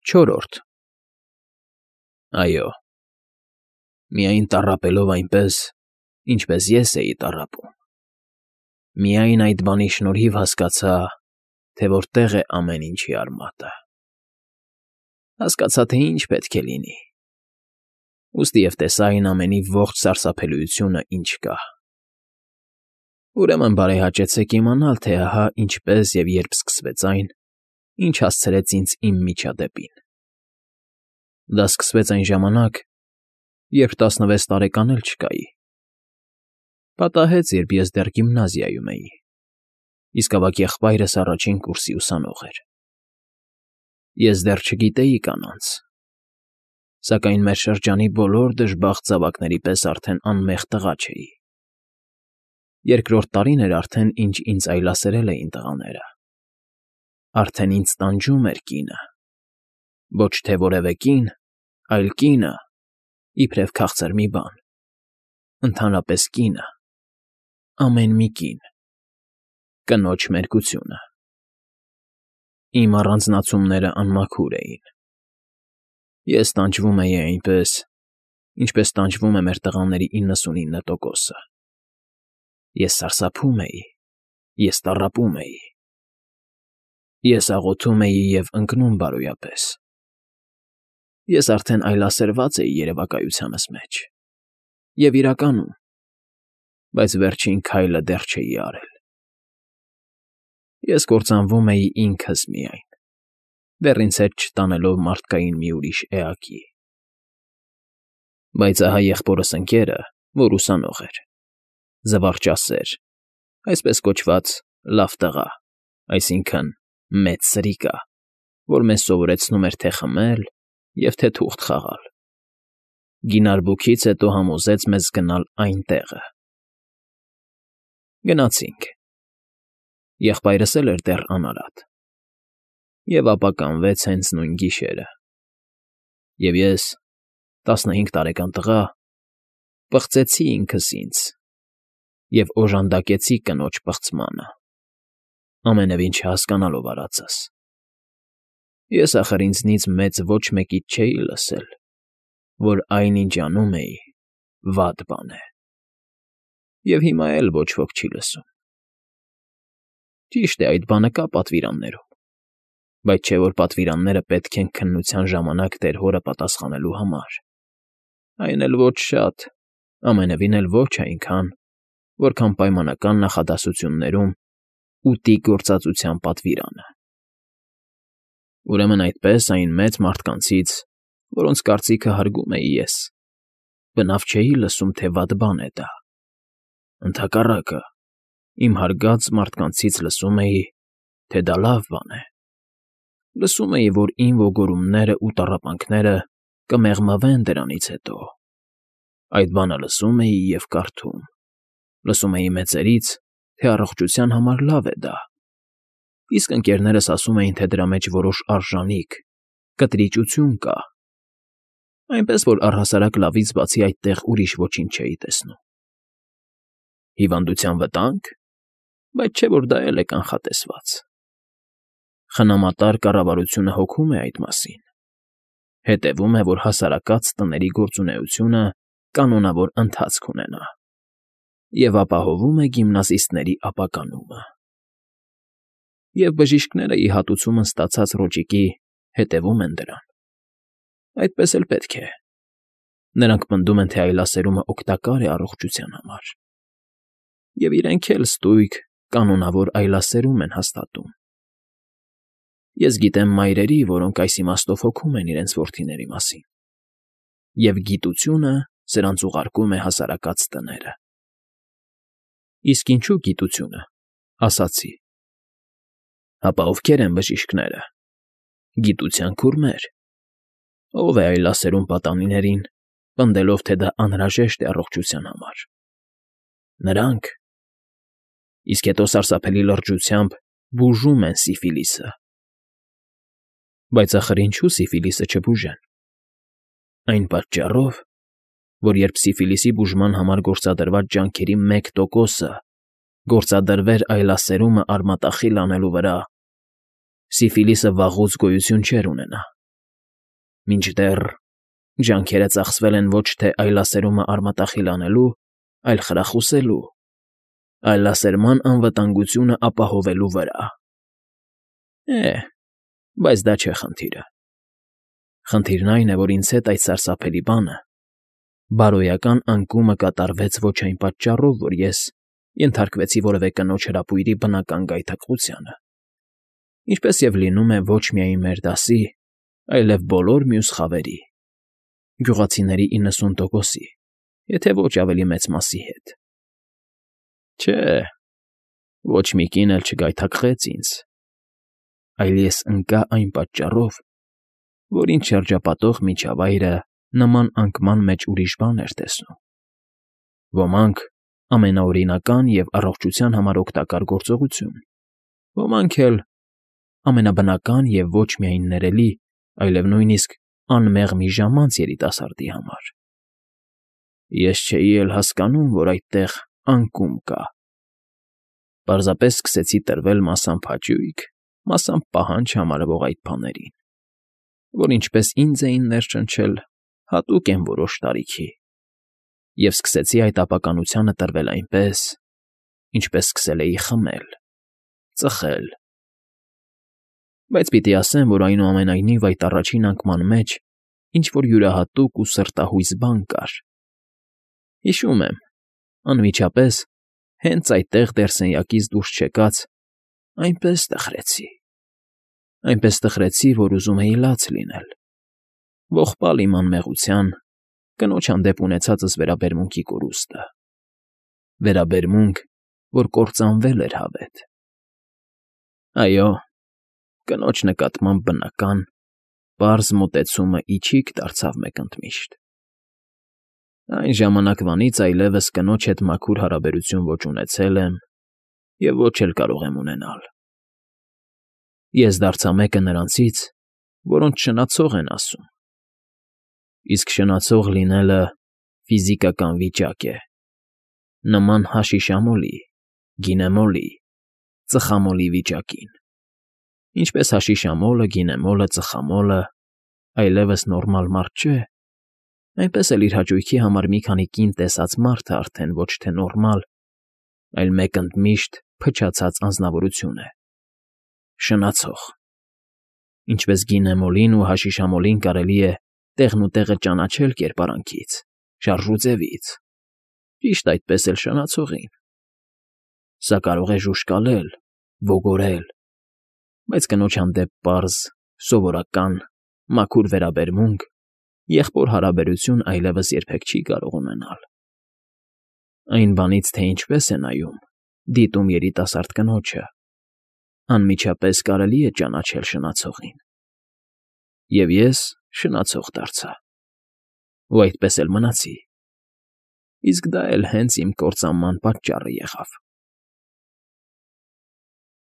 Չորրորդ Այո, միայն տառապելով այնպես, ինչպես ես էի տառապում, միայն այդ բանի շնորհիվ հասկացա, թե որտեղ է ամեն ինչի արմատը, հասկացա, թե ինչ պետք է լինի, ուստի և տեսա այն ամենի ողջ սարսափելիությունը, ինչ կա, ուրեմն բարեհաճեցեք իմանալ, թե ահա ինչպես և երբ սկսվեց այն, ինչ հասցրեց ինձ իմ միջադեպին. Դա սկսվեց այն ժամանակ, երբ 16 տարեկան էլ չկայի, պատահեց, երբ ես դեռ գիմնազիայում էի, իսկ ավագ եղբայրս առաջին կուրսի ուսանող էր, ես դեռ չգիտեի կանանց, սակայն մեր շրջանի բոլոր դժբախտ զավակների պես արդեն անմեղ տղա չէի, երկրորդ տարին էր արդեն, ինչ ինձ այլասերել էին տղաները, արդեն ինձ տանջում էր կինը, ոչ թե որևէ կին, այլ կինը, իբրև քաղցր մի բան, ընդհանրապես կինը, ամեն մի կին, կնոջ մերկությունը, իմ առանձնացումները անմաքուր էին, ես տանջվում էի այնպես, ինչպես տանջվում է մեր տղաների 99%-ը, ես սարսափում էի, ես տառապում էի, ես աղոթում էի և ընկնում բարոյապես, ես արդեն այլասերված էի երևակայությանս մեջ, և իրականում, բայց վերջին քայլը դեռ չէի արել, ես կործանվում էի ինքս միայն, դեռ ինձ հետ չտանելով մարդկային մի ուրիշ էակի, բայց ահա եղբորս ընկերը, որ ուսանող էր, զվարճասեր, այսպես կոչված լավ տղա, այսինքն մեծ սրիկա, որ մեզ սովորեցնում էր թե խմել և թե թուղթ խաղալ, գինարբուքից հետո համոզեց մեզ գնալ այն տեղը, գնացինք, եղբայրս էլ էր դեռ անարատ, և ապականվեց հենց նույն գիշերը, և ես, 15 տարեկան տղա, պղծեցի ինքս ինձ և օժանդակեցի կնոջ պղծմանը, ամենևին չհասկանալով արածս, ես ախր ինձնից մեծ ոչ մեկից չէի լսել, որ այն, ինչ անում էի, վատ բան է, և հիմա էլ ոչ ոք չի լսում, ճիշտ է, այդ բանը կա պատվիրաններում, բայց չէ որ պատվիրանները պետք են քննության ժամանակ տեր հորը պատասխանելու համար, այն էլ ոչ շատ, ամենևին էլ ոչ այնքան, որքան պայմանական նախադասություններում ուտի գործածության պատվիրանը, ուրեմն այդպես այն մեծ մարդկանցից, որոնց կարծիքը հարգում էի ես, բնավ չէի լսում, թե վատ բան է դա, ընդհակառակը, իմ հարգած մարդկանցից լսում էի, թե դա լավ բան է, լսում էի, որ իմ ոգորումներն ու տառապանքները կմեղմվեն դրանից հետո, այդ բանը լսում էի և կարդում, լսում էի մեծերից, թե առողջության համար լավ է դա, իսկ ընկերներս ասում էին, թե դրա մեջ որոշ արժանիք, կտրիճություն կա, այնպես որ առհասարակ լավից բացի այդտեղ ուրիշ ոչինչ չէի տեսնում, հիվանդության վտա՞նք, բայց չէ որ դա էլ է կանխատեսված, խնամատար կառավարությունը հոգում է այդ մասին, հետևում է, որ հասարակած տների գործունեությունը կանոնավոր ընթացք ունենա և ապահովում է գիմնազիստների ապականումը, և բժիշկները ի հատուցումն ստացած ռոճիկի հետևում են դրան, այդպես էլ պետք է, նրանք պնդում են, թե այլասերումը օգտակար է առողջության համար, և իրենք էլ ստույգ, կանոնավոր այլասերում են հաստատում, ես գիտեմ մայրերի, որոնք այս իմաստով հոգում են իրենց որդիների մասին, և գիտությունը սրանց ուղարկում է հասարակած տները, իսկ ինչու գիտությունը, ասացի, հապա ովքեր են բժիշկները, գիտության քուրմեր, ով է այլասերում պատանիներին, պնդելով, թե դա անհրաժեշտ է առողջության համար, նրանք, իսկ հետո սարսափելի լրջությամբ բուժում են սիֆիլիսը, բայց ախր ինչու սիֆիլիսը չբուժեն, այն պատճառով, որ երբ սիֆիլիսի բուժման համար գործադրված ջանքերի 1%-ը գործադրվեր այլասերումը արմատախիլ անելու վրա, սիֆիլիսը վաղուց գոյություն չէր ունենա, Մինչդեռ ջանքերը ծախսվել են ոչ թե այլասերումը արմատախիլ անելու, այլ խրախուսելու, այլասերման անվտանգությունը ապահովելու վրա։ Բայց դա չէ խնդիրը։ Խնդիրն այն է, որ ինձ հետ այդ սարսափելի բանը, բարոյական անկումը կատարվեց ոչ այն պատճառով, որ ես ենթարկվեցի որևէ կնոջ հրապույրի բնական գայթակղությանը, ինչպես և լինում է ոչ միայն մեր դասի, այլև բոլոր մյուս խավերի, գյուղացիների 90%-ի, եթե ոչ ավելի մեծ մասի հետ։ Չէ, ոչ մի կին էլ չգայթակղեց ինձ, այլ ես ընկա այն պատճառով, որ ինձ շրջապատող միջավայրը նման անկման մեջ ուրիշ բան էր տեսնում։ Ոմանք ամենաօրինական և առողջության համար օգտակար գործողություն, ոմանք էլ ամենաբնական և ոչ միայն ներելի, այլև նույնիսկ անմեղ մի ժամանց երիտասարդի համար։ Ես չէի էլ հասկանում, որ այդտեղ անկում կա։ Պարզապես սկսեցի տրվել մասամբ հաճույք, մասամբ պահանջ համարվող այդ բաներին, որ ինչպես ինձ էին ներշնչել, հատուկ են որոշ տարիքի, և սկսեցի այդ ապականությանը տրվել այնպես, ինչպես սկսել էի խմել, ծխել։ Բայց պիտի ասեմ, որ այնուամենայնիվ այդ առաջին անկման մեջ ինչ֊որ յուրահատուկ ու սրտահույս բան կար։ Հիշում եմ, անմիջապես, հենց այդտեղ դեռ սենյակից դուրս չեկած, այնպես տխրեցի, որ ուզում էի լաց լինել, ողբալ իմ անմեղության, կնոջ հանդեպ ունեցածս վերաբերմունքի կորուստը, վերաբերմունք, որ կործանվել էր հավետ։ Այո, կնոջ նկատմամբ բնական, պարզ մոտեցումը իչիք դարձավ մեկընդմիշտ։ Այն ժամանակվանից այլևս կնոջ հետ մաքուր հարաբերություն ոչ ունեցել եմ և ոչ էլ կարող եմ ունենալ։ Ես դարձա մեկը նրանցից, որոնց շնացող են ասում։ Իսկ շնացող լինելը ֆիզիկական վիճակ է, նման հաշիշամոլի, գինեմոլի, ծխամոլի վիճակին։ Ինչպես հաշիշամոլը, գինեմոլը, ծխամոլը այլևս նորմալ մարդ չէ, այնպես էլ իր հաճույքի համար մի քանի կին տեսած մարդը արդեն ոչ թե նորմալ, այլ մեկընդմիշտ փչացած անձնավորություն է, շնացող։ Ինչպես գինեմոլին ու հաշիշամոլին կարելի է տեղնուտեղը ճանաչել կերպարանքից, շարժուձևից, ճիշտ այդպես էլ շնացողին։ Սա կարող է ժուժկալել, ոգորել, բայց կնոջ հանդեպ պարզ, սովորական, մաքուր վերաբերմունք, եղբոր հարաբերություն այլևս երբեք չի կարող ունենալ։ Այն բանից, թե ինչպես է նայում, դիտում երիտասարդ կնոջը, անմիջապես կարելի է ճանաչել շնացողին։ Եվ ես շնացող դարձա։ Ու այդպես էլ մնացի։ Իսկ դա էլ հենց իմ կործանման պատճառը եղավ։